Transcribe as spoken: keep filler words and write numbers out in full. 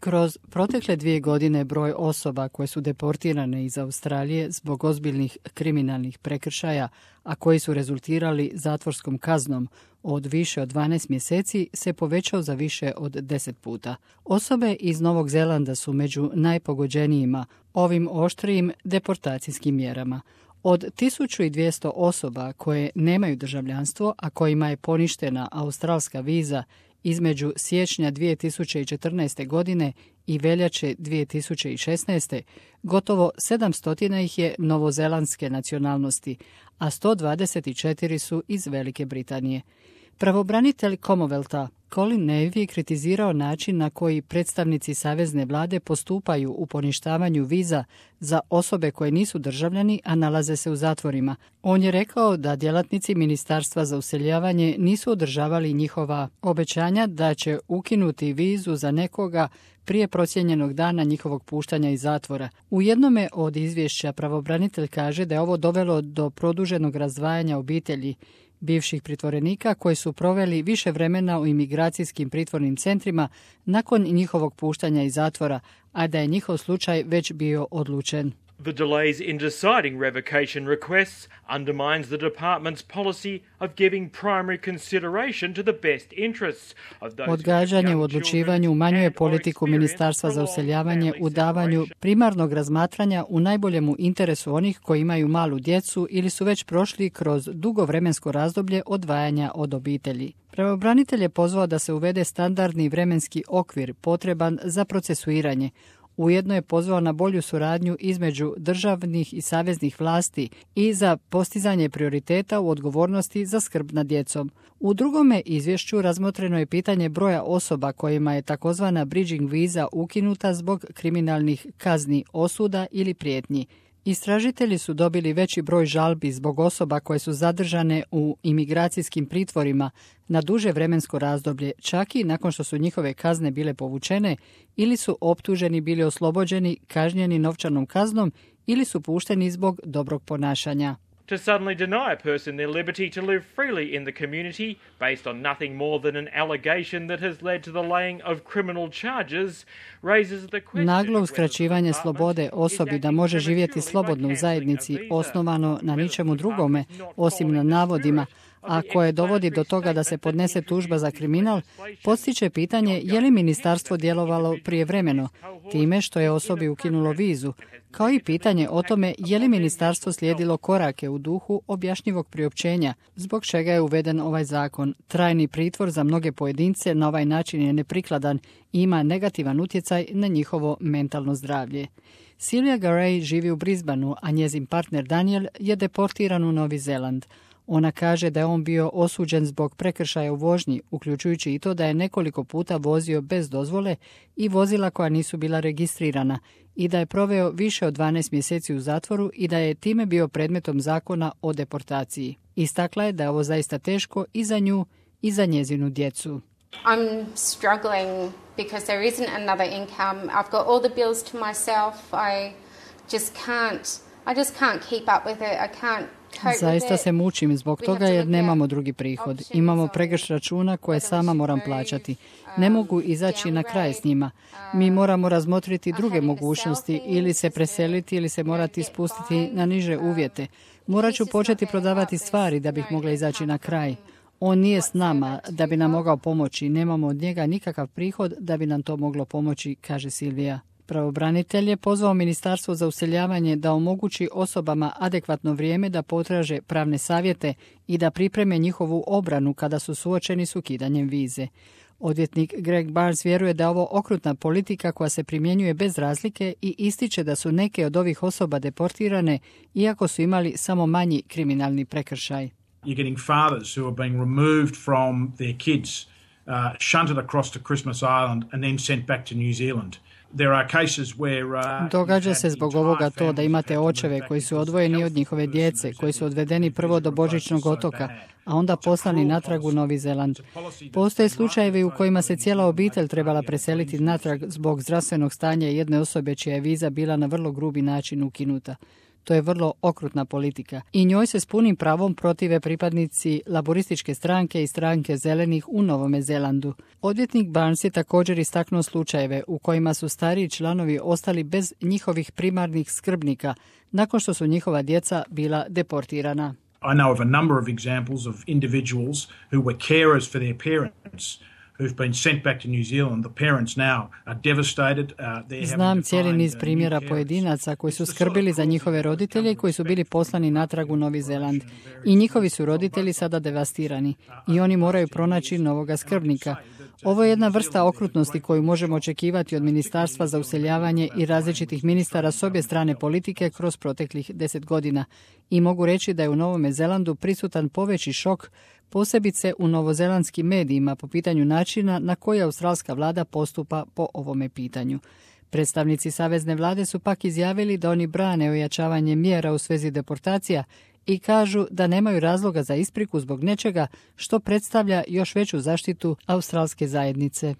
Kroz protekle dvije godine broj osoba koje su deportirane iz Australije zbog ozbiljnih kriminalnih prekršaja, a koji su rezultirali zatvorskom kaznom od više od dvanaest mjeseci, se povećao za više od deset puta. Osobe iz Novog Zelanda su među najpogođenijima ovim oštrijim deportacijskim mjerama. Od tisuću dvjesto osoba koje nemaju državljanstvo, a kojima je poništena australska viza između siječnja dvije tisuće četrnaeste. godine i veljače dvije tisuće šesnaeste. gotovo sedamsto ih je novozelandske nacionalnosti, a sto dvadeset četiri su iz Velike Britanije. Pravobranitelj Commonwealtha Colin Navy je kritizirao način na koji predstavnici savezne vlade postupaju u poništavanju viza za osobe koje nisu državljani, a nalaze se u zatvorima. On je rekao da djelatnici Ministarstva za useljavanje nisu održavali njihova obećanja da će ukinuti vizu za nekoga prije procijenjenog dana njihovog puštanja iz zatvora. U jednome od izvješća pravobranitelj kaže da je ovo dovelo do produženog razdvajanja obitelji bivših pritvorenika koji su proveli više vremena u imigracijskim pritvornim centrima nakon njihovog puštanja iz zatvora, a da je njihov slučaj već bio odlučen. The delays in deciding revocation requests undermines the department's policy of giving primary consideration to the best interests of those. Odgađanje u odlučivanju umanjuje politiku Ministarstva za useljavanje u davanju primarnog razmatranja u najboljemu interesu onih koji imaju malu djecu ili su već prošli kroz dugo vremensko razdoblje odvajanja od obitelji. Pravobranitelj je pozvao da se uvede standardni vremenski okvir potreban za procesuiranje. Ujedno je pozvao na bolju suradnju između državnih i saveznih vlasti i za postizanje prioriteta u odgovornosti za skrb nad djecom. U drugome izvješću razmotreno je pitanje broja osoba kojima je takozvana bridging viza ukinuta zbog kriminalnih kazni, osuda ili prijetnji. Istražitelji su dobili veći broj žalbi zbog osoba koje su zadržane u imigracijskim pritvorima na duže vremensko razdoblje, čak i nakon što su njihove kazne bile povučene ili su optuženi bili oslobođeni, kažnjeni novčanom kaznom ili su pušteni zbog dobrog ponašanja. To suddenly deny a person their liberty to live freely in the community based on nothing more than an allegation that has led to the laying of criminal charges raises the question. Naglo uskraćivanje slobode osobi da može živjeti slobodno u zajednici osnovano na ničemu drugome osim na navodima, a koje dovodi do toga da se podnese tužba za kriminal, postiče pitanje je li ministarstvo djelovalo prijevremeno, time što je osobi ukinulo vizu, kao i pitanje o tome je li ministarstvo slijedilo korake u duhu objašnjivog priopćenja, zbog čega je uveden ovaj zakon. Trajni pritvor za mnoge pojedince na ovaj način je neprikladan i ima negativan utjecaj na njihovo mentalno zdravlje. Silvia Garay živi u Brisbaneu, a njezin partner Daniel je deportiran u Novi Zeland. Ona kaže da je on bio osuđen zbog prekršaja u vožnji, uključujući i to da je nekoliko puta vozio bez dozvole i vozila koja nisu bila registrirana i da je proveo više od dvanaest mjeseci u zatvoru i da je time bio predmetom zakona o deportaciji. Istakla je da je ovo zaista teško i za nju i za njezinu djecu. I'm struggling because there isn't another income. I've got all the bills to myself. I just can't I just can't keep up with it. I can't. Zaista se mučim zbog toga jer nemamo drugi prihod. Imamo pregršt računa koje sama moram plaćati. Ne mogu izaći na kraj s njima. Mi moramo razmotriti druge mogućnosti ili se preseliti ili se morati spustiti na niže uvjete. Morat ću početi prodavati stvari da bih mogla izaći na kraj. On nije s nama da bi nam mogao pomoći. Nemamo od njega nikakav prihod da bi nam to moglo pomoći, kaže Silvija. Pravobranitelj je pozvao Ministarstvo za useljavanje da omogući osobama adekvatno vrijeme da potraže pravne savjete i da pripreme njihovu obranu kada su suočeni s ukidanjem vize. Odvjetnik Greg Barnes vjeruje da je ovo okrutna politika koja se primjenjuje bez razlike i ističe da su neke od ovih osoba deportirane iako su imali samo manji kriminalni prekršaj. You're getting fathers who are being removed from their kids, uh, shunted across to Christmas Island and then sent back to New Zealand. Događa se zbog ovoga to da imate očeve koji su odvojeni od njihove djece, koji su odvedeni prvo do Božićnog otoka, a onda poslani natrag u Novi Zeland. Postoje slučajevi u kojima se cijela obitelj trebala preseliti natrag zbog zdravstvenog stanja jedne osobe čija je viza bila na vrlo grubi način ukinuta. To je vrlo okrutna politika i njoj se s punim pravom protive pripadnici laborističke stranke i stranke zelenih u Novome Zelandu. Odvjetnik Barnes je također istaknuo slučajeve u kojima su stariji članovi ostali bez njihovih primarnih skrbnika nakon što su njihova djeca bila deportirana. I know of a number of examples of individuals who were carers for their parents who've been sent back to New Zealand. The parents now are devastated. Uh, Znam cijeli niz primjera pojedinaca koji su skrbili za njihove roditelje i koji su bili poslani natrag u Novi Zeland. I njihovi su roditelji sada devastirani i oni moraju pronaći novoga skrbnika. Ovo je jedna vrsta okrutnosti koju možemo očekivati od Ministarstva za useljavanje i različitih ministara s obje strane politike kroz proteklih deset godina. I mogu reći da je u Novome Zelandu prisutan poveći šok, posebice u novozelandskim medijima po pitanju načina na koji australska vlada postupa po ovome pitanju. Predstavnici savezne vlade su pak izjavili da oni brane ojačavanje mjera u svezi deportacija i kažu da nemaju razloga za ispriku zbog nečega što predstavlja još veću zaštitu australske zajednice.